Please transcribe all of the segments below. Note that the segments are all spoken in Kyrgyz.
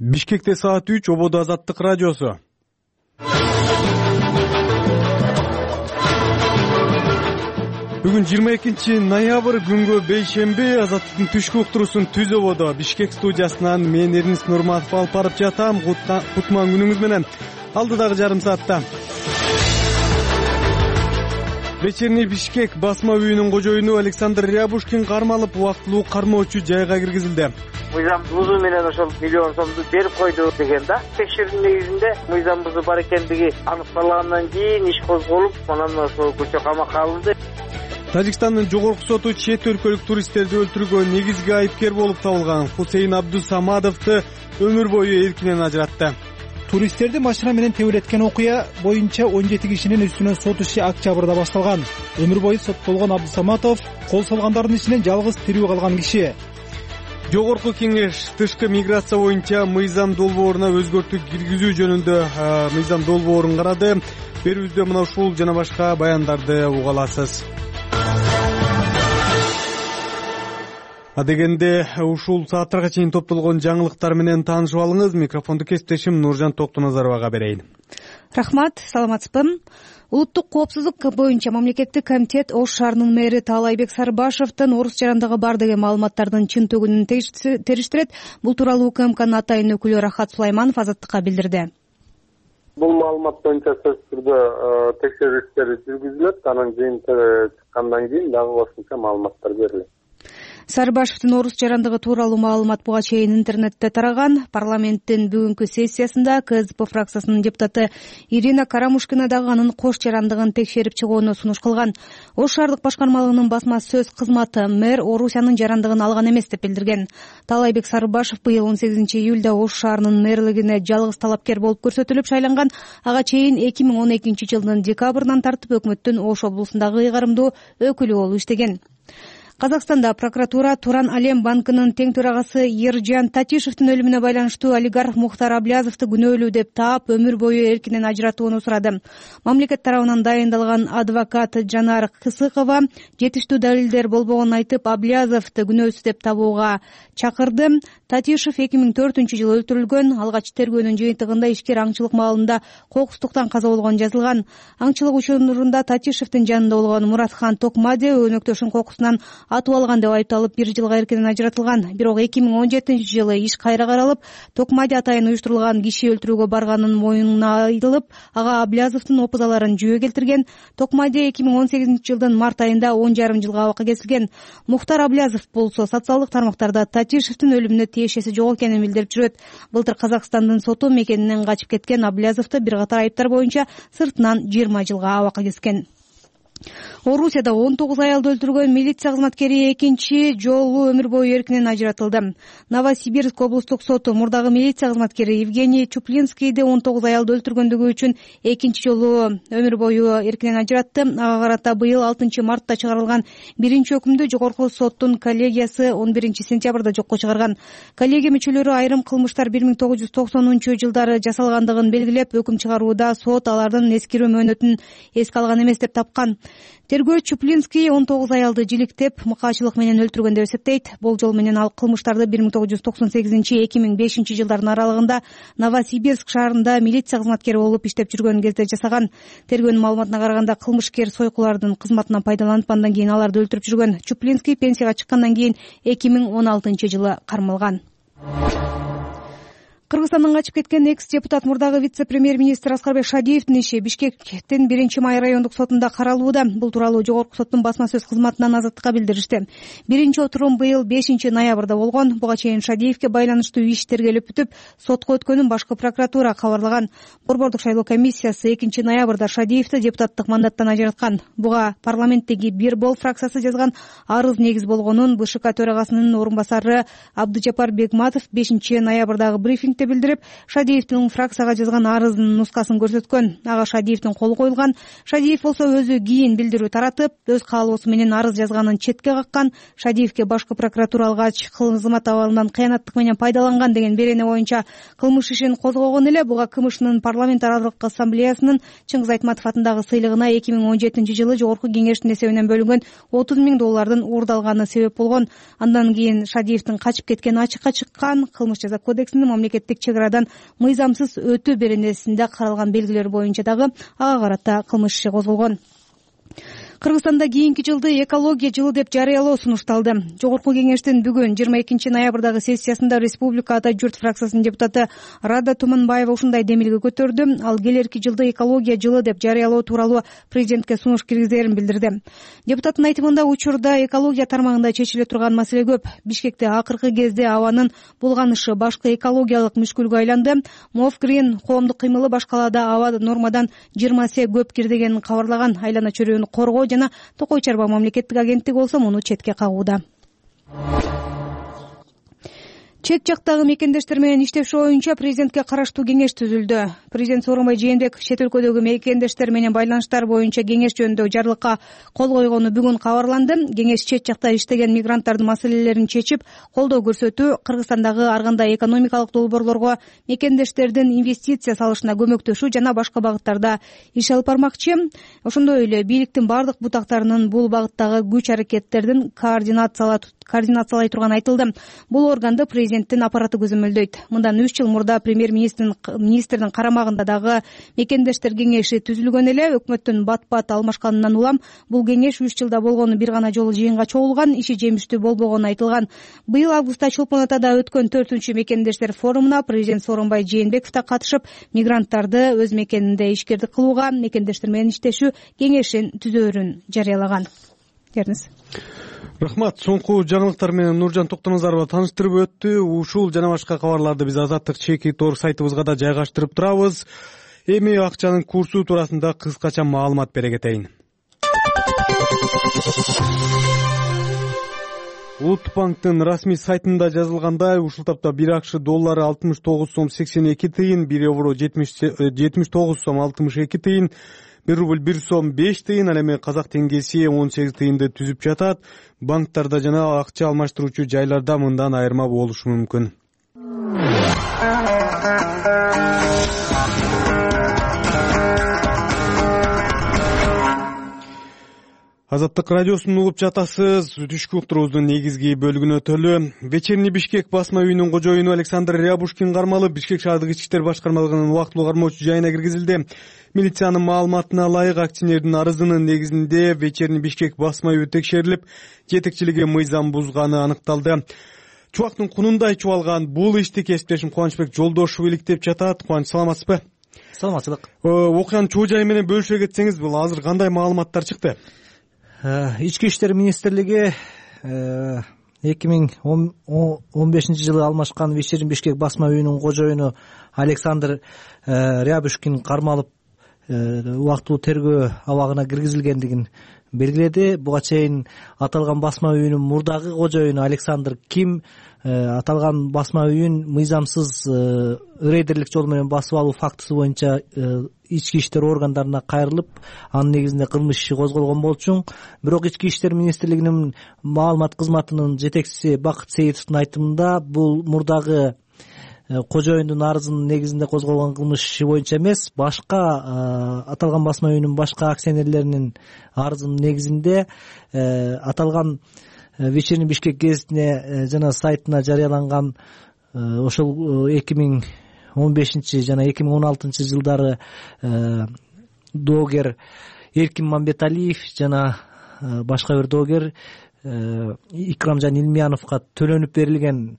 Бишкекте саат 3 ободо Азаттык радиосу. Бүгүн 22 ноябрь күнгө бейшемби. Азаттыктын түшкү уктуруусун түз ободо Бишкек студиясынан мен Эрнис Нурматов алып барып жатам. Кутман күнүңүз менен. Алдыдагы жарым саатта Вечерний Бишкек басма үйүнүн кожоюну Александр Рябушкин кармалып, убактылуу кармоочу жайга киргизилди. Мыйзам бузуу менен ошол миллион сомду берип койду деген да. Текшерүүнүн негизинде мыйзам бузуу бар экендиги аныкталгандан кийин иш козголуп, анан ошол көчө камакка алынды. Тажикстандын жогорку соту чет өлкөлүк туристтерди өлтүрүүгө негизги айыпкер болуп табылган Хусейн Абдусамадовду өмүр бою эркинен ажыратты. Туристтерди машина менен тебелеткен окуя боюнча 17 кишинин үстүнөн сот иши октябрда башталган. Өмүр бою соттолгон Абдусаматов кол салгандардын ичинен жалгыз тирүү калган киши. Жогорку кеңеш тышкы миграция боюнча мыйзам долбооруна өзгөртүү киргизүү жөнүндө мыйзам долбоорун карады. Берүүбүздө мына ушул жана башка баяндарды уга аласыз. Адегенде ушул сааттарга чейин топтолгон жаңылыктар менен таанышып алыңыз. Микрофонду кесиптешим Нуржан Токтоназаровага берейин. Рахмат, саламатсызбы. Улуттук коопсуздук боюнча мамлекеттик комитет Ош шаарынын мэри Таалайбек Сарыбашевдин орус жарандыгы бар деген маалыматтардын чынтыгынын териштирет. Бул тууралуу УКМКнын атайын өкүлү Рахат Сулайманов Азаттыкка билдирди. Бул маалымат боюнча сөзсүз түрдө текшерүү иштери жүргүзүлөт. Анын жыйынтыгы чыккандан кийин дагы кошумча маалыматтар берилет. Сарыбашевдин орус жарандыгы тууралуу маалымат буга чейин интернетте тараган. Парламенттин бүгүнкү сессиясында КСДП фракциясынын депутаты Ирина Карамушкина дагы анын кош жарандыгын текшерип чыгууну сунуш кылган. Ош шаардык башкармалыгынын басма сөз кызматы мэр Орусиянын жарандыгын алган эмес деп билдирген. Таалайбек Сарыбашев быйыл 18 июлда Ош шаарынын мэрлигине жалгыз талапкер болуп көрсөтүлүп шайланган. Ага чейин 2012 жылдын декабрынан тартып өкмөттүн Ош облусундагы ыйгарымдуу өкүлү болуп иштеген. Казакстанда прокуратура Туран Алем банкынын тең төрагасы Ержан Татишевдин өлүмүнө байланыштуу олигарх Мухтар Аблязовду күнөөлүү деп таап, өмүр бою эркинен ажыратууну сурады. Мамлекет тарабынан дайындалган адвокат Жанар Кысыкова жетиштүү далилдер болбогонун айтып, Аблязовду күнөөсүз деп табууга чакырды. Татишев 2004 жылы өлтүрүлгөн. Алгач тергөөнүн жыйынтыгында ишкер аңчылык маалында кокустуктан каза болгон жазылган. Аңчылык учурунда Татишевдин жанында болгон Муратхан Токмаде өнөктөшүн кокусунан атып алган деп айыпталып 1 жылга эркинен ажыратылган. Бирок 2017 жылы иш кайра каралып, Токмаде атайын уюштурулган киши өлтүрүүгө барганын моюнуна айтылып, ага Аблязовдун опузаларын жүйө келтирген. Токмаде 2018 жылдын март айында 10,5 жылга абакка кесилген. Мухтар Аблязов болсо социалдык тармактарда Татишевдин өлүмүнө тиешеси жок экенин билдирип жүрөт. Былтыр Казакстандын соту мекенинен качып кеткен Аблязовду бир катар айыптар боюнча сыртынан 20 жылга абакка кескен. Орусияда 19 аялды өлтүргөн милиция кызматкери экинчи жолу өмүр бою эркинен ажыратылды. Новосибирск облустук соту мурдагы милиция кызматкери Евгений Чуплинскийди 19 аялды өлтүргөндүгү үчүн экинчи жолу өмүр бою эркинен ажыратты. Ага карата быйыл 6 мартта чыгарылган биринчи өкүмдү жогорку соттун коллегиясы 11 сентябрда жокко чыгарган. Коллегия мүчөлөрү айрым кылмыштар 1990 жылдары жасалгандыгын белгилеп, өкүм чыгарууда сот алардын эскирүү мөөнөтүн эске алган эмес деп тапкан. Тергөө Чуплинский 19 аялды жиликтеп, мыкаачылык менен өлтүргөн деп эсептейт. Болжол менен ал кылмыштарды 1998-2005 жылдардын аралыгында Новосибирск шаарында милиция кызматкери болуп иштеп жүргөн кезде жасаган. Тергөөнүн маалыматына караганда кылмышкер сойкулардын кызматынан пайдаланып, андан кийин аларды өлтүрүп жүргөн. Чуплинский пенсияга чыккандан кийин 2016 жылы кармалган. Кыргызстандан качып кеткен экс-депутат мурдагы вице-премьер-министр Аскарбек Шадиевдин иши Бишкектин 1-май райондук сотунда каралууда. Бул тууралуу жогорку соттун басма сөз кызматынан Азаттыкка билдиришти. Биринчи отурум быйыл 5 ноябрда болгон. Буга чейин Шадиевге байланыштуу иш тергелип бүтүп, сотко өткөнүн башкы прокуратура кабарлаган. Борбордук шайлоо комиссиясы 2 ноябрда Шадиевди депутаттык мандаттан ажыраткан. Буга парламенттеги Бир Бол фракциясы жазган арыз негиз болгонун БШК төрагасынын орун басары Абдыжапар Бегматов 5 ноябрдагы брифингде билдирди. билдирип, Шадиевдин фракцияга жазган арызынын нускасын көрсөткөн. Ага Шадиевдин колу коюлган. Шадиев болсо өзү кийин билдирүү таратып, өз каалоосу менен арыз жазганын четке каккан. Шадиевге башкы прокуратура алгач кызмат абалынан кыянаттык менен пайдаланган деген берене боюнча кылмыш ишин козгогон эле. Буга КМШнын парламентаралык ассамблеясынын Чыңгыз Айтматов атындагы сыйлыгына 2017-жылы Жогорку кеңештин эсебинен бөлүнгөн $30,000 уурдалганы себеп болгон. Андан кийин Шадиевдин качып кеткени ачыкка чыккан. Кылмыш жаза кодексинин мамлекеттик чек арадан мыйзамсыз өтүү беренесинде каралган белгилер боюнча дагы ага карата кылмыш иши козголгон. Кыргызстанда кийинки жылды экология жылы деп жарыялоо сунушталды. Жогорку кеңештин бүгүн 22 ноябрдагы сессиясында Республика Ата журт фракциясынын депутаты Рада Туманбаева ушундай демилге көтөрдү. Ал келерки жылды экология жылы деп жарыялоо тууралуу президентке сунуш киргизерин билдирди. Депутаттын айтымында учурда экология тармагында чечиле турган маселе көп. Бишкекте акыркы кезде абанын булганышы башкы экологиялык мүшкүлгө айланды. Мовгрин коомдук кыймылы баш калаада аба нормадан 20 эсе көп кирдигенин кабарлаган. Айлана чөйрөнү коргоо жана Токой Чарба мамлекеттик агенттиги болсо муну четке кагууда. Чет жактагы мекендештер менен иштеши боюнча президентке караштуу кеңеш түзүлдү. Президент Сооронбай Жээнбеков чет өлкөдөгү мекендештер менен байланыштар боюнча кеңеш жөнүндөгү жарлыкка кол койгону бүгүн кабарланды. Кеңеш чет жакта иштеген мигранттардын маселелерин чечип, колдоо көрсөтүү, Кыргызстандагы ар кандай экономикалык долбоорлорго мекендештердин инвестиция салышына көмөктөшүү жана башка багыттарда иш алып бармакчы. Ошондой эле бийликтин бардык бутактарынын бул багыттагы күч аракеттердин координациялай турганы айтылды. Бул органды президенттин аппараты көзөмөлдөйт. Мындан 3 жыл мурда премьер-министрдин карамагында дагы мекендештер кеңеши түзүлгөн эле. Өкмөттүн бат-бат алмашканынан улам бул кеңеш 3 жылда болгону бир гана жолу жыйынга чогулган, иши жемиштүү болбогону айтылган. Быйыл августта Чолпон Атада өткөн 4-чү мекендештер форумуна президент Сооронбай Жээнбеков да катышып, мигранттарды өз мекенинде ишкердик кылууга мекендештер менен иштешүү кеңешин түзөөрүн жарыялаган. Керниз. Рахмат. Соңку жаңылыктар менен Нуржан Токтоназарова тааныштырып өттү. Ушул жана башка кабарларды биз Азаттык /Тор сайтыбызга да жайгаштырып турабыз. Эми акчанын курсу туурасында кыскача маалымат бере кетейин. Улуттук банктын расмий сайтында жазылгандай, ушул тапта 1 акш доллары 69 сом 82 тыйын, 1 евро 79 сом 62 тыйын, 1 рубль 1 сом 5 тыйын, ал эми казак теңгеси 18 тыйынды түзүп жатат. Банктарда жана акча алмаштыруучу жайларда мындан айырма болушу мүмкүн. Азаттык радиосун угуп жатасыз. Түшкү уктуруубуздун негизги бөлүгүнө өтөлү. Вечерний Бишкек басма үйүнүн кожоюну Александр Рябушкин кармалып, Бишкек шаардык ички иштер башкармалыгынын убактылуу кармоочу жайына киргизилди. Милициянын маалыматына ылайык, акционердин арызынын негизинде Вечерний Бишкек басма үйү текшерилип, жетекчилиги мыйзам бузганы аныкталды. Чубактын кунундай чубалган бул ишти кесиптешим Кубанычбек Жолдошов иликтеп жатат. Кубаныч, саламатсызбы? Саламатчылык. Окуянын чоо жайы менен бөлүшө кетсеңиз, бул азыр кандай маалыматтар чыкты? Ички иштер министрлиги 2015 жылы алмашкан Вечерний Бишкек басма үйүнүн кожоюну Александр Рябушкин кармалып, убактылуу тергөө абагына киргизилгендигин белгиледи. Буга чейин аталган басма үйүнүн мурдагы кожоюну Александр Ким аталган басма үйүн мыйзамсыз рейдерлик жол менен басып алуу фактысы боюнча ички иштер органдарына кайрылып, анын негизинде кылмыш иши козголгон болчу. Бирок ички иштер министрлигинин маалымат кызматынын жетекчиси Бакыт Сейитовдун айтымында, бул мурдагы кожоюндун арызынын негизинде козголгон кылмыш иши боюнча эмес, башка аталган басма үйүнүн башка акционерлеринин арызынын негизинде аталган Вечерний Бишкек гезитине жана сайтына жарыяланган ошол 2015 жана 2016 жылдары доогер Эркин Мамбеталиев жана башка бир доогер Икрамжан Илмияновго төлөнүп берилген,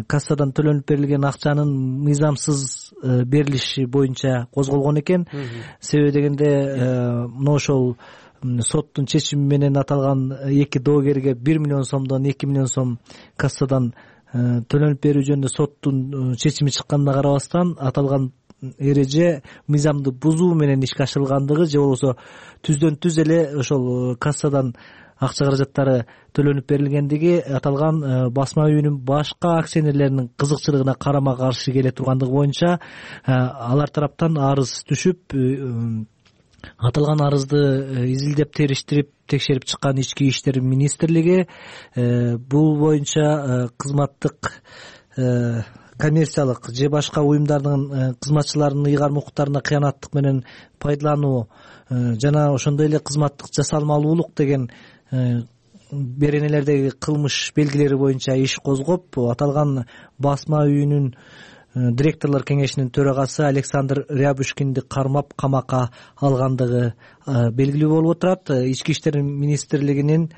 кассадан төлөнүп берилген акчанын мыйзамсыз берилиши боюнча козголгон экен. Себеби дегенде мына ошол соттун чечими менен аталган эки доогерге 1 миллион сомдон 2 миллион сом кассадан төлөнүп берүү жөнүндө соттун чечими чыкканына карабастан, аталган эреже мыйзамды бузуу менен ишке ашырылгандыгы же болбосо түздөн түз эле ошол кассадан акча каражаттары төлөнүп берилгендиги аталган басма үйүнүн башка акционерлеринин кызыкчылыгына карама каршы келе тургандыгы боюнча алар тараптан арыз түшүп, аталган арызды изилдеп териштирип текшерип чыккан Ички иштер министрлиги бул боюнча кызматтык коммерциялык же башка уюмдардын кызматчыларынын ыйгарым укуктарына кыянаттык менен пайдалануу жана ошондой эле кызматтык жасалмалуулук деген беренелердеги кылмыш белгилери боюнча иш козгоп, аталган басма үйүнүн директорлор кеңешинин төрагасы Александр Рябушкинди кармап камакка алгандыгы белгилүү болуп отурат. Ички иштер министрлигинин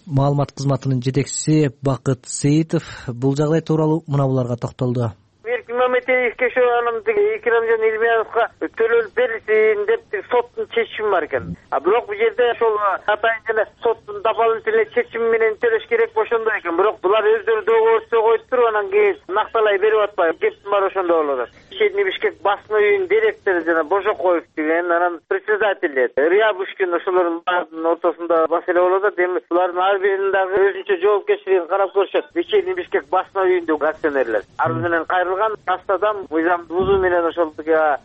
маалымат кызматынын жетекчиси Бакыт Сейитов бул жагдай тууралуу мына буларга токтолду. Эркин Мамедиевге ошо анан Икрамжан Илмияновго төлөнүп берилсин деп соттун чечими бар экен. Бирок бул жерде ошол атайын жана соттун дополнительный чечими менен төлөш керек ошондой экен. Бирок булар өздөрү договорду коюп туруп анан кийин накталай берип атпайбы. Кептин баары ошондой болуп атат. Шедний Бишкек басма үйүнүн директору жана Божокоев деген, анан председатели Рябушкин, ошолордун баарынын ортосунда маселе болуп атат. Эми булардын ар биринин дагы өзүнчө жоопкерчилигин карап көрүшөт. Шедний Бишкек басма үйүндөгү акционерлер арыз менен кайрылган астадан мыйзам бузуу менен ошол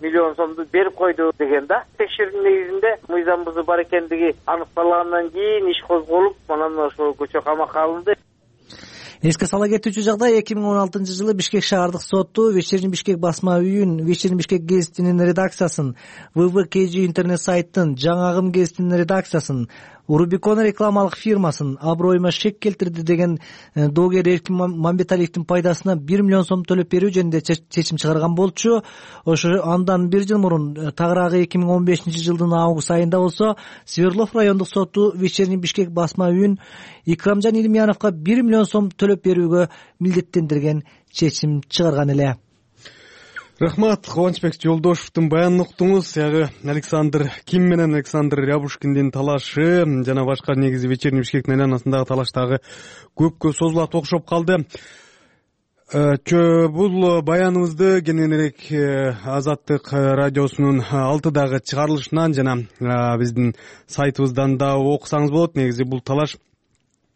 миллион сомду берип койду деген да. Текшерүүнүн негизинде мыйзам бузуу бар экендиги аныкталгандан кийин иш козголуп, анан ошол көчө камакка алынды. Эске сала кетүүчү жагдай 2016-жылы Бишкек шаардык соту Вечерний Бишкек басма үйүн, Вечерний Бишкек гезитинин редакциясын, ВВКЖ интернет сайттын, Жаңы Агым гезитинин редакциясын, Урубикон рекламалык фирмасын аброюма шек келтирди деген доогер Эркин Мамбеталиевдин пайдасына 1 миллион сом төлөп берүү жөнүндө чечим чыгарган болчу. Ошо андан 1 жыл мурун, тагыраагы 2015-жылдын август айында болсо, Свердлов райондук соту Вечерний Бишкек басма үйүн Икрамжан Илмияновго 1 миллион сом төлөп берүүгө милдеттендирген чечим чыгарган эле. Рахмат, Кубанычбек Жолдошевдун баянын уктуңуз. Ягы Александр Ким менен Александр Рябушкиндин талашы жана башка негизи Вечерний Бишкектин айланасындагы талаш дагы көпкө созулат окшоп калды. Бул баяныбызды кененирээк Азаттык радиосунун 6-дагы чыгарылышынан жана биздин сайтыбыздан да окусаңыз болот. Негизи бул талаш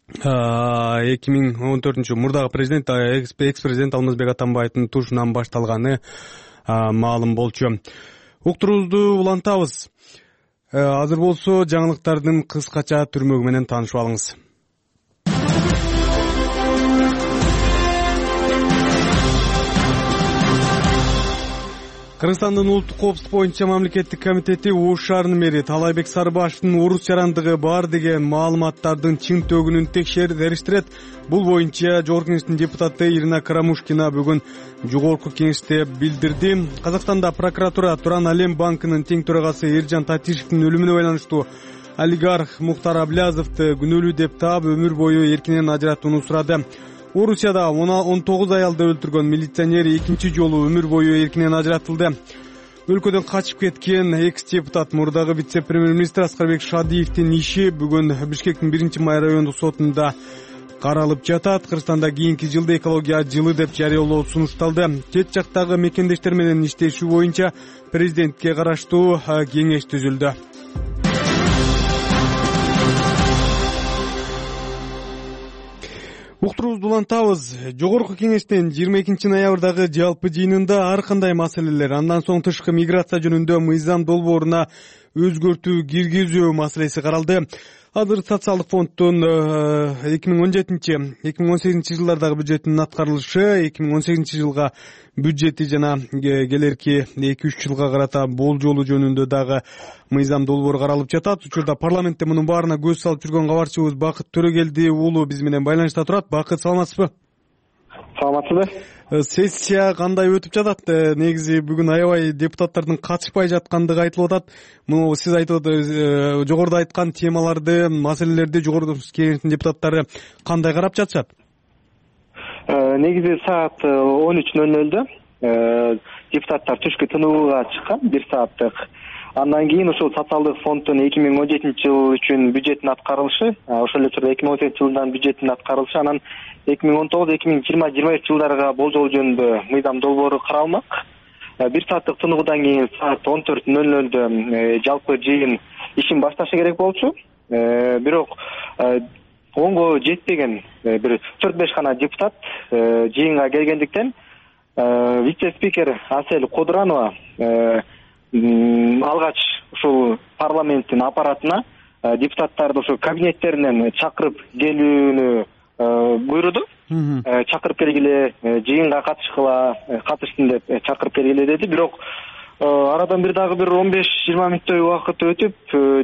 2014 мурдагы президент, экс-президент Алмазбек Атамбаевдин тушунан башталганы маалым болчу. Уктуруубузду улантабыз. Азыр болсо жаңылыктардын кыскача түрмөгү менен таанышып алыңыз. Кыргызстандын улуттук коопсуздук боюнча мамлекеттик комитети Ош шаарынын мэри Талайбек Сарыбашевдин орус жарандыгы бар деген маалыматтардын чын төгүнүн териштирет. Бул боюнча Жогорку кеңештин депутаты Ирина Карамушкина бүгүн Жогорку кеңеште билдирди. Казакстанда прокуратура Туран Алем банкынын тең төрагасы Эржан Татишевдин өлүмүнө байланыштуу олигарх Мухтар Аблязовду күнөөлүү деп таап өмүр бою эркинен ажыратууну сурады. Орусияда 19 аялды өлтүргөн милиционер экинчи жолу өмүр бою эркинен ажыратылды. Өлкөдөн качып кеткен экс-депутат мурдагы вице-премьер-министр Аскарбек Шадиевдин иши бүгүн Бишкектин 1-май райондук сотунда каралып жатат. Кыргызстанда кийинки жылды экология жылы деп жарыялоо сунушталды. Чет жактагы мекендештер менен иштешүү боюнча президентке караштуу кеңеш түзүлдү. Уктуруубузду улантабыз. Жогорку кеңештин 22 ноябрдагы жалпы жыйынында ар кандай маселелер, андан соң тышкы миграция жөнүндө мыйзам долбооруна өзгөртүү киргизүү маселеси каралды. Азыр социалдык фонддун 2017-2018 жылдардагы бюджетинин аткарылышы, 2018 жылга бюджети жана келерки 2-3 жылга карата болжолу жөнүндө дагы мыйзам долбоору каралып жатат. Учурда парламентте мунун баарына көз салып жүргөн кабарчыбыз Бакыт Төрөгелди уулу биз менен байланышта турат. Бакыт, саламатсызбы? Саламатсызбы? Сессия кандай өтүп жатат? Негизи бүгүн аябай депутаттардын катышпай жаткандыгы айтылып атат. Муну сиз айтып жогоруда айткан темаларды, маселелерди жогорку кеңештин депутаттары кандай карап жатышат? Негизи саат 13:00 депутаттар түшкү тынууга чыккан 1 сааттык. Андан кийин ошол социалдык фонддун 2017 жыл үчүн бюджеттин аткарылышы, ошол эле учурда 2018 жылдан бюджеттин аткарылышы, анан 2019-2020-2021 жылдарга болжол жөнүндө мыйзам долбоору каралмак. 1 сааттык тынуудан кийин саат 14:00 жалпы жыйын ишин башташы керек болчу. бирок онго жетпеген бир 4-5 гана депутат жыйынга келгендиктен вице-спикер Асель Кодуранова алгач ушул парламенттин аппаратына депутаттарды ушу кабинеттеринен чакырып келүүнү буйруду. Чакырып келгиле, жыйынга катышсын деп чакырып келгиле деди. Бирок арадан дагы бир 15-20 мүнөттөй убакыт өтүп,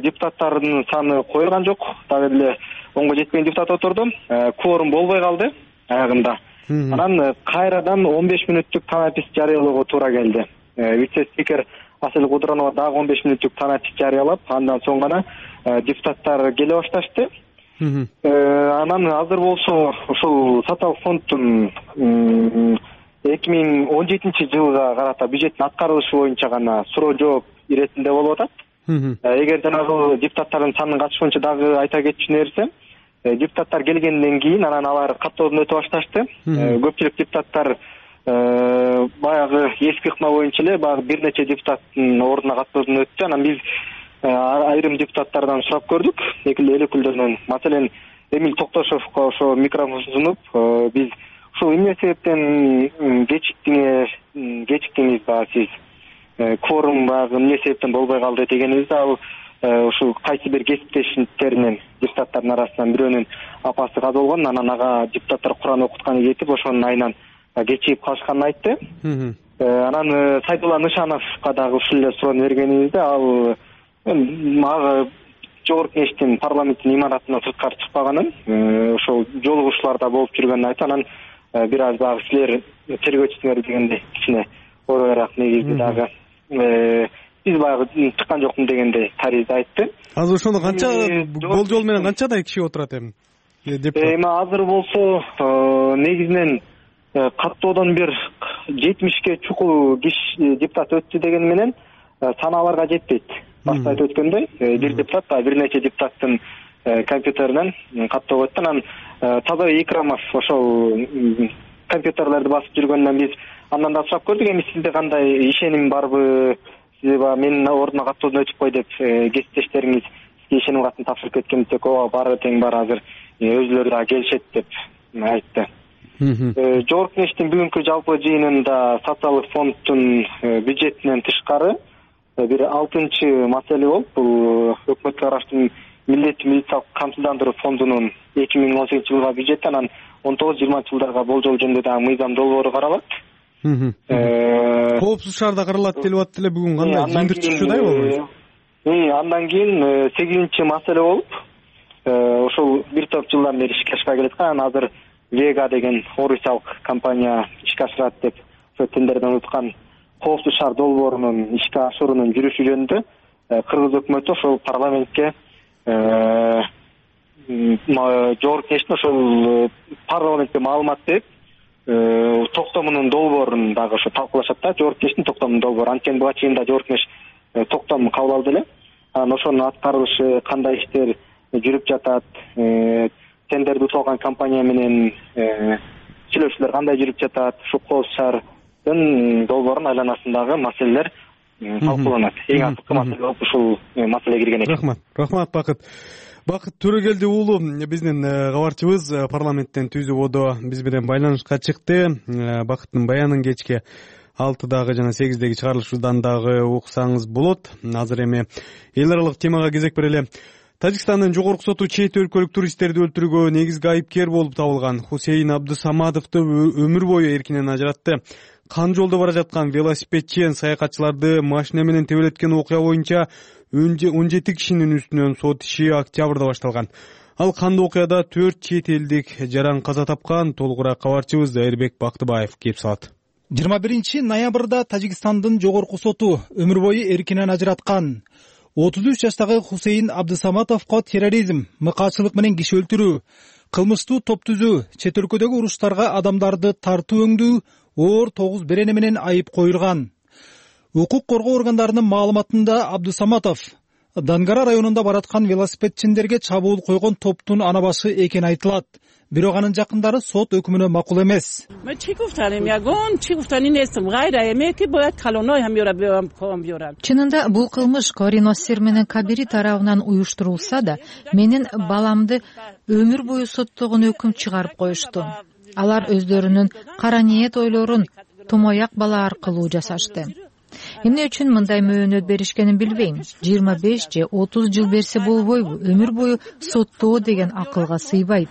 депутаттардын саны коюлган жок. Дагы эле онго жетпеген депутат отурду. Кворум болбой калды аягында. Анан кайрадан 15 мүнөттүк танапис жарыялоого туура келди. Вице-спикер Асель Кодуранова дагы 15 мүнөттүк танапис жарыялап, андан соң гана депутаттар келе башташты. Анан азыр болсо ушул саталык фонддун 2017 жылга карата бюджеттин аткарылышы боюнча гана суроо жооп иретинде болуп атат. Эгер жанагы депутаттардын санын катышуунча дагы айта кетчү нерсе, депутаттар келгенден кийин анан алар каттоодон өтө башташты. Көпчүлүк депутаттар баягы эски ыкма боюнча эле баягы бир нече депутаттын ордуна каттоодон өттү. Анан биз айрым депутаттардан сурап көрдүк, эл өкүлдөрүнөн. Маселен, Эмиль Токтошовго ошо микрофон сунуп, биз ушул эмне себептен кечиктиңиз баягы сиз кворум баягы эмне себептен болбой калды дегенибизде, ал ушул кайсы бир кесиптештеринен депутаттардын арасынан бирөөнүн апасы каза болгон, анан ага депутаттар Куран окутканы кетип, ошонун айынан кечигип калышканын айтты. Анан Сайдулла Нышановго дагы ушул эле суроону бергенибизде, ал ага жогорку кеңештин парламенттин имаратынан сырткары чыкпаганын, ошол жолугушууларда болуп жүргөнүн айтты. Анан бир аз дагы силер тергөөчүсүңөр дегендей кичине оройраак негизди дагы биз баягы чыккан жокмун дегендей таризди айтты. Азыр ошондо канча болжол менен канчадай киши отурат эми? Азыр болсо негизинен каттоодон бир 70ке чукул киши депутат өттү деген менен санааларга жетпейт. Башта айтып өткөндөй, бир депутат, бир нече депутаттын компьютеринен каттоого өттү. Анан Тазабек Икрамов ошол компьютерлерди басып жүргөндөн биз андан да сурап көрдүк, эми сизде кандай ишеним барбы, сиз менин ордума каттоодон өтүп кой деп кесиптештериңиз сизге ишеним катын тапшырып кеткен десек, ооба баары тең бар, азыр өзүлөрү да келишет деп айтты. Жогорку кеңештин бүгүнкү жалпы жыйынында социалдык фонддун бюджетинен тышкары бир 6-чы маселе болуп, бул өкмөткө караштуу Милдеттүү медициналык камсыздандыруу фондунун 2018 жылга бюджети, анан 19-20 жылдарга болжол жөнүндө дагы мыйзам долбоору каралат. Коопсуз шаарда каралат делип атты эле, бүгүн кандай жыйындыр чыкчудай болбойбу? Андан кийин 8-чи маселе болуп, ошол бир топ жылдан бери ишке ашпай келаткан, азыр Вега деген орусиялык компания ишке ашырат деп ошо тендерден уткан коопсуз шаар долбоорунун ишке ашуурунун жүрүшү жөнүндө кыргыз өкмөтү ошол парламентке жогорку кеңештин ошол парламентке маалымат берип, токтомунун долбоорун дагы ошо талкуулашат да, жогорку кеңештин токтомунун долбоору. Анткени буга чейин да жогорку кеңеш токтом кабыл алды эле. Анан ошонун аткарылышы, кандай иштер жүрүп жатат, тендерди утулган компания менен сүйлөшүүлөр кандай жүрүп жатат, ушу коопсуз шаардын долбоорунун айланасындагы маселелер талкууланат. Эң акыркы маселе болуп ушул маселе кирген экен. Рахмат Бакыт Төрөгелди уулу, биздин кабарчыбыз парламенттен түз ободо биз менен байланышка чыкты. Бакыттын баянын кечке 6-дагы жана 8-деги чыгарылышынан дагы уксаңыз болот. Азыр эми эл аралык темага кезек берели. Тажикстандын жогорку соту чет өлкөлүк туристтерди өлтүрүүгө негизги айыпкер болуп табылган Хусейин Абдысаматовду өмүр бою эркинен ажыратты. Кан жолдо бара жаткан велосипедчи саякатчыларды машина менен тебелеткен окуя боюнча 17 кишинин үстүнөн сот иши октябрда башталган. Ал кандуу окуяда 4 чет элдик жаран каза тапкан. Толугураак кабарчыбыз Эрбек Бактыбаев кеп салат. 21 ноябрда Тажикстандын жогорку соту өмүр бою эркинен ажыраткан 33 жаштагы Хусейин Абдысаматовго терроризм, мыкаачылык менен киши өлтүрүү, кылмыштуу топ түзүү, чет өлкөдөгү уруштарга адамдарды тартуу өңдүү оор 9 берене менен айып коюлган. Укук коргоо органдарынын маалыматында Абдысаматов Дангара районунда бараткан велосипедчиндерге чабуул койгон топтун ана башы экени айтылат. бирок анын жакындары сот өкүмүнө макул эмес. Чынында бул кылмыш Корин Оссер менен Кабири тарабынан уюштурулса да, менин баламды өмүр бою соттогон өкүм чыгарып коюшту. Алар өздөрүнүн кара ниет ойлорун тумояк бала аркылуу жасашты. Эмне үчүн мындай мөөнөт беришкенин билбейм. 25 же 30 жыл берсе болбойбу? Өмүр бою соттоо деген акылга сыйбайт.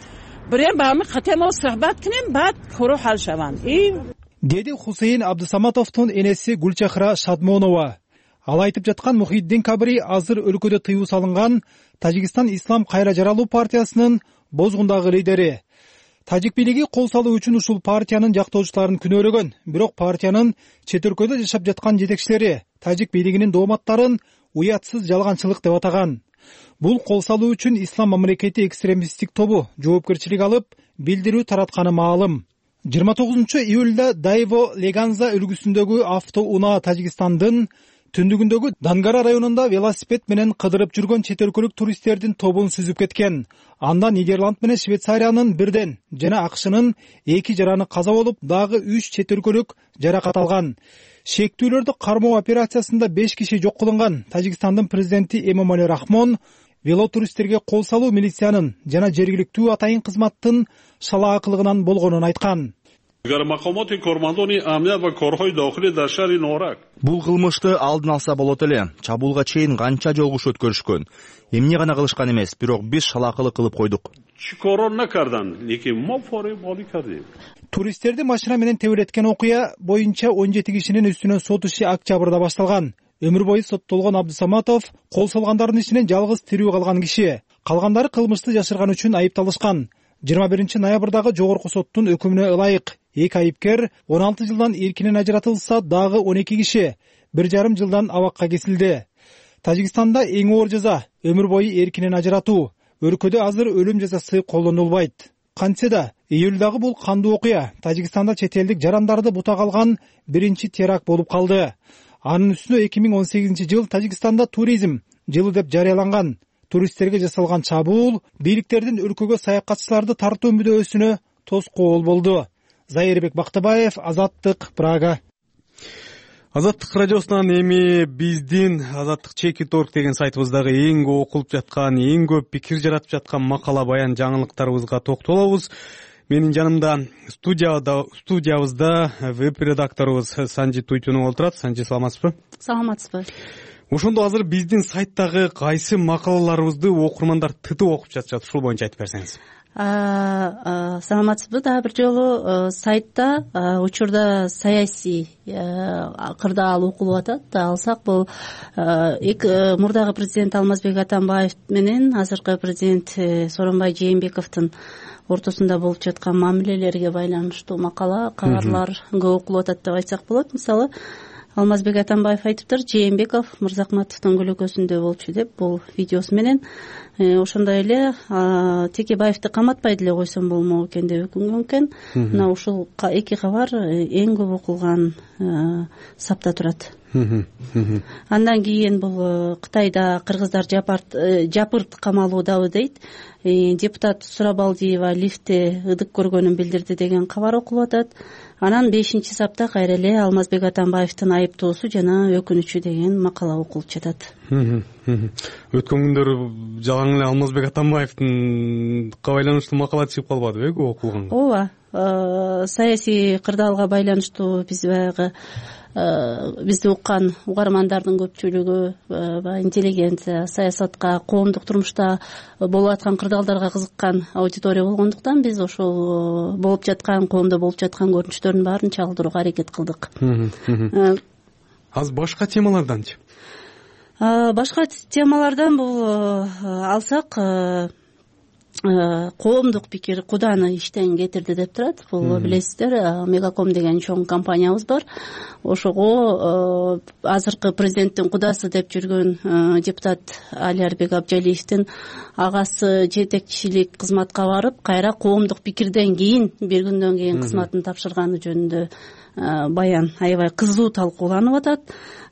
Деди Хусейин Абдысаматовдун энеси Гулчахра Шадмонова. Ал айтып жаткан Мухиддин Кабири азыр өлкөдө тыюу салынган Тажикстан Ислам кайра жаралуу партиясынын бозгундагы лидери. Тажик бийлиги кол салуу үчүн ушул партиянын жактоочуларын күнөөлөгөн, бирок партиянын чет өлкөдө жашап жаткан жетекчилери тажик бийлигинин дооматтарын уятсыз жалганчылык деп атаган. Бул кол салуу үчүн Ислам мамлекети экстремисттик тобу жоопкерчилик алып, билдирүү таратканы маалым. 29 июлда Дайво Леганза өлкөсүндөгү автоунаа Тажикстандын түндүгүндөгү Дангара районунда велосипед менен кыдырып жүргөн чет өлкөлүк туристтердин тобун сүзүп кеткен. Анда Нидерланд менен Швейцариянын бирден жана АКШнын 2 жараны каза болуп, дагы 3 чет өлкөлүк жаракат алган. Шектүүлөрдү кармоо операциясында 5 киши жок кылынган. Тажикстандын президенти Эмомали Рахмон велотуристтерге кол салуу милициянын жана жергиликтүү атайын кызматтын шалаакылыгынан болгонун айткан. Бул кылмышты алдын алса болот эле. Чабуулга чейин канча жолку өткөрүшкөн. Эмне гана кылышкан эмес, бирок биз шалаакылык кылып койдук. Туристтерди машина менен тебелеткен окуя боюнча 17 кишинин үстүнөн сот иши октябрда башталган. Өмүр бою соттолгон Абдысаматов кол салгандардын ичинен жалгыз тирүү калган киши. Калгандары кылмышты жашырган үчүн айыпталышкан. 21 ноябрдагы жогорку соттун өкүмүнө ылайык 2 айыпкер 16 жылдан эркинен ажыратылса, дагы 12 киши 1,5 жылдан абакка кесилди. Тажикстанда эң оор жаза өмүр бою эркинен ажыратуу. Өлкөдө азыр өлүм жазасы колдонулбайт. Кантсе да июлдагы бул кандуу окуя Тажикстанда чет элдик жарандарды бутак алган биринчи теракт болуп калды. Анын үстүнө 2018 жыл Тажикстанда туризм жылы деп жарыяланган. Туристтерге жасалган чабуул бийликтердин өлкөгө саякатчыларды тартуу мүдөөсүнө тоскоол болду. Зайырбек Бактыбаев, Азаттык, Прага. Азаттык радиосунан эми биздин azattik.org деген сайтыбыздагы эң көп окулуп жаткан, эң көп пикир жаратып жаткан макала баян жаңылыктарыбызга токтолобуз. Менин жанымда студиябызда веб-редакторубуз Санжи Туйтунов отурат. Санжи, саламатсызбы? Саламатсызбы. Ошондо азыр биздин сайттагы кайсы макалаларыбызды окурмандар тытып окуп жатышат, ушул боюнча айтып берсеңиз. Саламатсызбы? Дагы бир жолу сайтта учурда саясий кырдаал окулуп атат. Алсак бул мурдагы президент Алмазбек Атамбаев менен азыркы президент Сооронбай Жээнбековдун ортосунда болуп жаткан мамилелерге байланыштуу макала, кабарлар көп окулуп атат деп айтсак болот. Мисалы, Алмазбек Атамбаев айтыптыр, Жээнбеков Мырзакматовдун көлөкөсүндө болчу деп, бул видеосу менен. Ошондой эле Текебаевди каматпай деле койсом болмок экен деп өкүнгөн экен. Мына ушул 2 кабар эң көп окулган сапта турат. Андан кийин бул Кытайда кыргыздар жапырт камалуудабы дейт. Депутат Сурабалдиева лифтте ыдык көргөнүн билдирди деген кабар окулуп атат. Анан 5-сапта кайра эле Алмазбек Атамбаевдин айыптоосу жана өкүнүчү деген макала окулуп жатат. Өткөн күндөр жалаң эле Алмазбек Атамбаевдин байланыштуу макала чыгып калбадыбы көп окулган? Ооба, саясий кырдаалга байланыштуу биз баягы бизди уккан угармандардын көпчүлүгү интеллигенция, саясатка, коомдук турмушта болуп аткан кырдаалдарга кызыккан аудитория болгондуктан биз ошол болуп жаткан, коомдо болуп жаткан көрүнүштөрдүн баарын чагылдырууга аракет кылдык. Азыр башка темаларданчы? Башка темалардан бул алсак, коомдук пикир Куданы иштен кетирди деп турат. Бул билесиздер, Мегаком деген чоң компаниябыз бар. Ошого азыркы президенттин кудасы деп жүргөн депутат Алиарбек Абжалиевдин агасы жетекчилик кызматка барып, кайра коомдук пикирден кийин, бир күндөн кийин кызматын тапшырганы жөнүндө баян аябай кызуу талкууланып атат.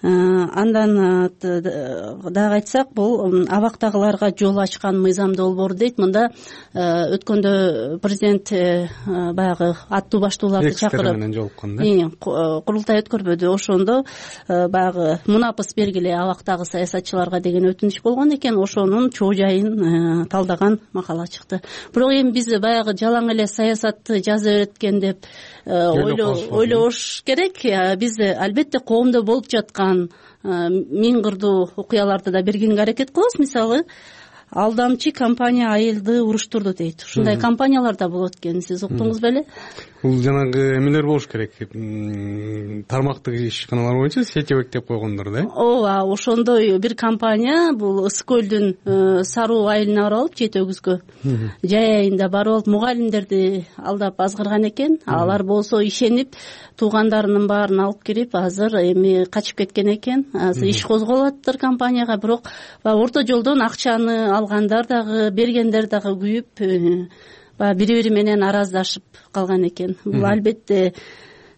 Андан дагы айтсак, бул абактагыларга жол ачкан мыйзам долбоор дейт. Мында өткөндө президент баягы аттуу баштууларды чакырып менен жолуккан да, курултай өткөрбөдү. Ошондо баягы мунапыс бергиле абактагы саясатчыларга деген өтүнүч болгон экен. Ошонун чоо жайын талдаган макала чыкты. Бирок эми биз баягы жалаң эле саясатты жаза береткен деп ойлобош керек. Биз албетте коомдо болуп жаткан миң кырдуу окуяларды да бергенге аракет кылабыз. Мисалы, алдамчы компания айылды уруштурду дейт. Ушундай компаниялар да болот экен. Сиз уктуңуз беле? Бул жанагы эмелер болуш керек, тармактык ишканалар боюнча сетевик деп койгондор да. Ооба, ошондой бир компания бул Ысык көлдүн Саруу айылына барып алып, Жети өгүзгө жай айында барып алып мугалимдерди алдап азгырган экен. Алар болсо ишенип туугандарынын баарын алып кирип, азыр эми качып кеткен экен. Азыр иш козголуп атыптыр компанияга, бирок орто жолдон акчаны алгандар дагы, бергендер дагы күйүп, бири-бири менен араздашып калган экен. Бул албетте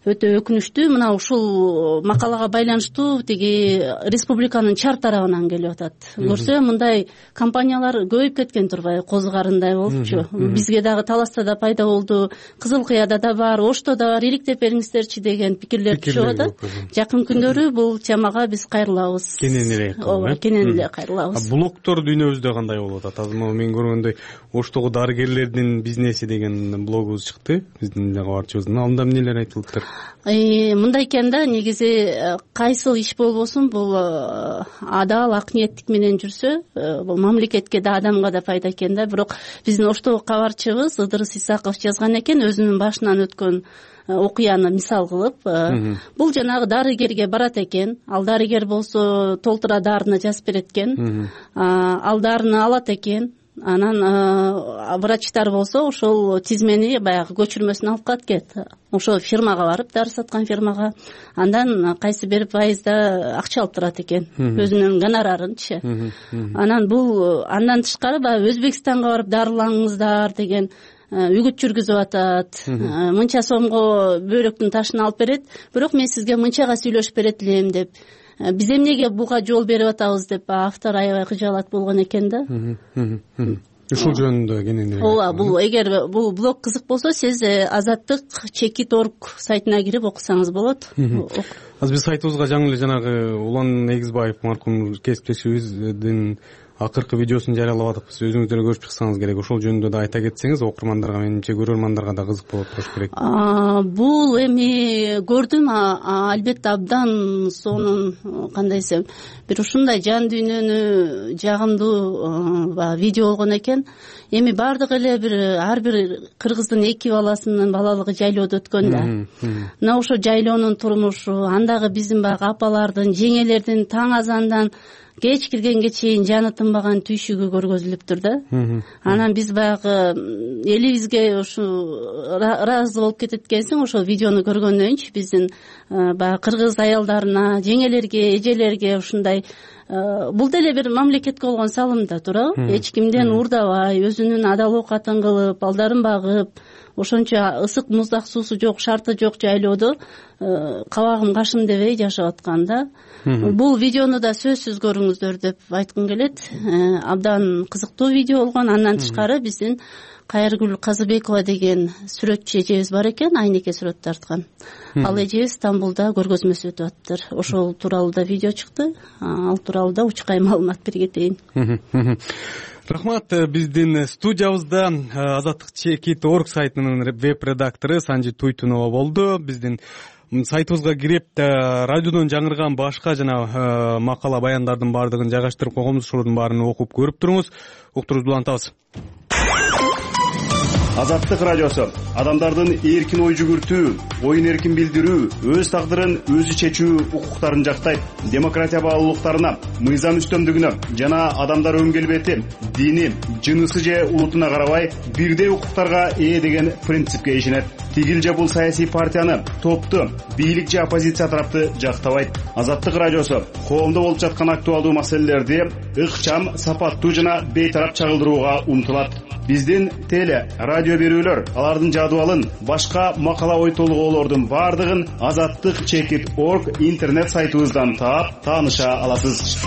өтө өкүнүчтүү. Мына ушул макалага байланыштуу тиги республиканын чар тарабынан келип атат. Көрсө мындай компаниялар көбөйүп кеткен турбайбы, козу карындай болупчу. Бизге дагы Таласта да пайда болду, Кызыл Кыяда да бар, Ошто да бар, иликтеп бериңиздерчи деген пикирлер түшүп атат. Жакын күндөрү бул темага биз кайрылабыз. Кенен эле. Ооба, кенен эле кайрылабыз. Блогтор дүйнөбүздө кандай болуп атат? Азыр мен көргөндөй Оштогу дарыгерлердин бизнеси деген блогубуз чыкты, биздин кабарчыбыздын. Анда эмнелер айтылыптыр? Мындай экен да, негизи кайсыл иш болбосун, бул адал, ак ниеттик менен жүрсө, бул мамлекетке да, адамга да пайда экен да. Бирок биздин Оштогу кабарчыбыз Ыдырыс Исаков жазган экен, өзүнүн башынан өткөн окуяны мисал кылып. Бул жанагы дарыгерге барат экен. Ал дарыгер болсо толтура дарыны жазып берет экен. Ал дарыны алат экен. Анан врачтар болсо ошол тизмени баягы көчүрмөсүн алып калат экен. Ошо фирмага барып, дары саткан фирмага, андан кайсы бир пайызда акча алып турат экен, өзүнүн гонорарынчы. Анан бул андан тышкары баягы Өзбекстанга барып дарылаңыздар деген үгүт жүргүзүп атат. Мынча сомго бөйрөктүн ташын алып берет, бирок мен сизге мынчага сүйлөшүп берет элем деп. Биз эмнеге буга жол берип атабыз деп автор аябай кыжаалат болгон экен да. Ушул жөнүндө кенен. Ооба, бул эгер бул блог кызык болсо, сиз Азаттык.org сайтына кирип окусаңыз болот. Азыр биз сайтыбызга жаңы эле жанагы Улан Эгизбаев маркум кесиптешибиздин акыркы видеосун жарыялап атабыз. Өзүңүздөр көрүп чыксаңыз керек. Ошол жөнүндө да айта кетсеңиз, окурмандарга, менимче көрөрмандарга да кызык болот болуш керек. Бул эми көрдүм, албетте абдан сонун, кандай десем, бир ушундай жан дүйнөнү жагымдуу видео болгон экен. Эми бардык эле ар бир кыргыздын 2 баласынын балалыгы жайлоодо өткөн да. Мына ошо жайлоонун турмушу, андагы биздин баягы апалардын, жеңелердин таң азандан кеч киргенге чейин жаны тынбаган түйшүгү көргөзүлүптүр да. Анан биз баягы элибизге ушу ыраазы болуп кетет экенсиң, ошол видеону көргөндөнчү биздин баягы кыргыз аялдарына, жеңелерге, эжелерге ушундай бул деле бир мамлекетке болгон салым да, туурабы? Эч кимден уурдабай, өзүнүн адал оокатын кылып, балдарын багып, ошончо ысык муздак суусу жок, шарты жок жайлоодо кабагым кашым дебей жашап аткан да. Бул видеону да сөзсүз көрүңүздөр деп айткым келет. Абдан кызыктуу видео болгон. Андан тышкары биздин Кайыргүл Казыбекова деген сүрөтчү эжебиз бар экен, айнеке сүрөт тарткан. Ал эжебиз Стамбулда көргөзмөсү өтүп атыптыр. Ошол тууралуу да видео чыкты. Ал тууралуу да учкай маалымат бере кетейин. Рахмат. Биздин студиябызда Азаттык.org сайтынын веб-редактору Санжи Туйтунова болду. Биздин сайтыбызга кирип, радиодон жаңырган башка жана макала баяндардын баардыгын жайгаштырып койгонбуз. Ошолордун баарын окуп көрүп туруңуз. Уктуруңузду улантабыз. Азаттык радиосу адамдардын эркин ой жүгүртүү, оюн эркин билдирүү, өз тагдырын өзү чечүү укуктарын жактайт. Демократия баалуулуктарына, мыйзам үстөмдүгүнө жана адамдар өң келбети, дини, жынысы же улутуна карабай бирдей укуктарга ээ деген принципке ишенет. Тигил же бул саясий партияны, топту, бийлик же оппозиция тарапты жактабайт. Азаттык радиосу коомдо болуп жаткан актуалдуу маселелерди ыкчам, сапаттуу жана бейтарап чагылдырууга умтулат. Биздин теле, радио берүүлөр, алардын жадыбалын, башка макала ой толгоолордун баардыгын Азаттык.org интернет сайтыбыздан таап, тааныша аласыз.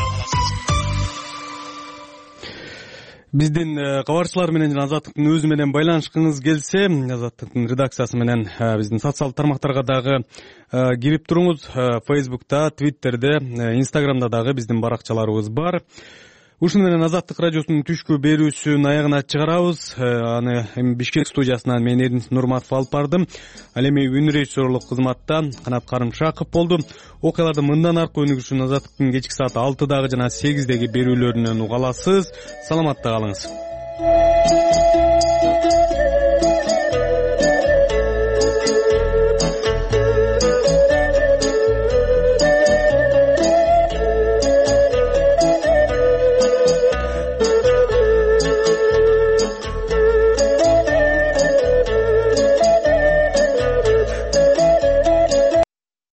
Биздин кабарчылар менен жана Азаттыктын өзү менен байланышкыңыз келсе, Азаттыктын редакциясы менен биздин социалдык тармактарга дагы кирип туруңуз. Фейсбукта, Твиттерде, Инстаграмда дагы биздин баракчаларыбыз бар. Ушуну менен Азаттык радиосунун түшкү берүүсүн аягына чыгарабыз. Аны эми Бишкек студиясынан мен Эрдинис Нурматов алып бардым. Ал эми үн режиссерлук кызматта Канат Карымшаков болду. Окуялардын мындан аркы өнүгүшүн Азаттыктын кечки саат 6дагы жана 8деги берүүлөрүнөн уга аласыз. Саламатта калыңыз.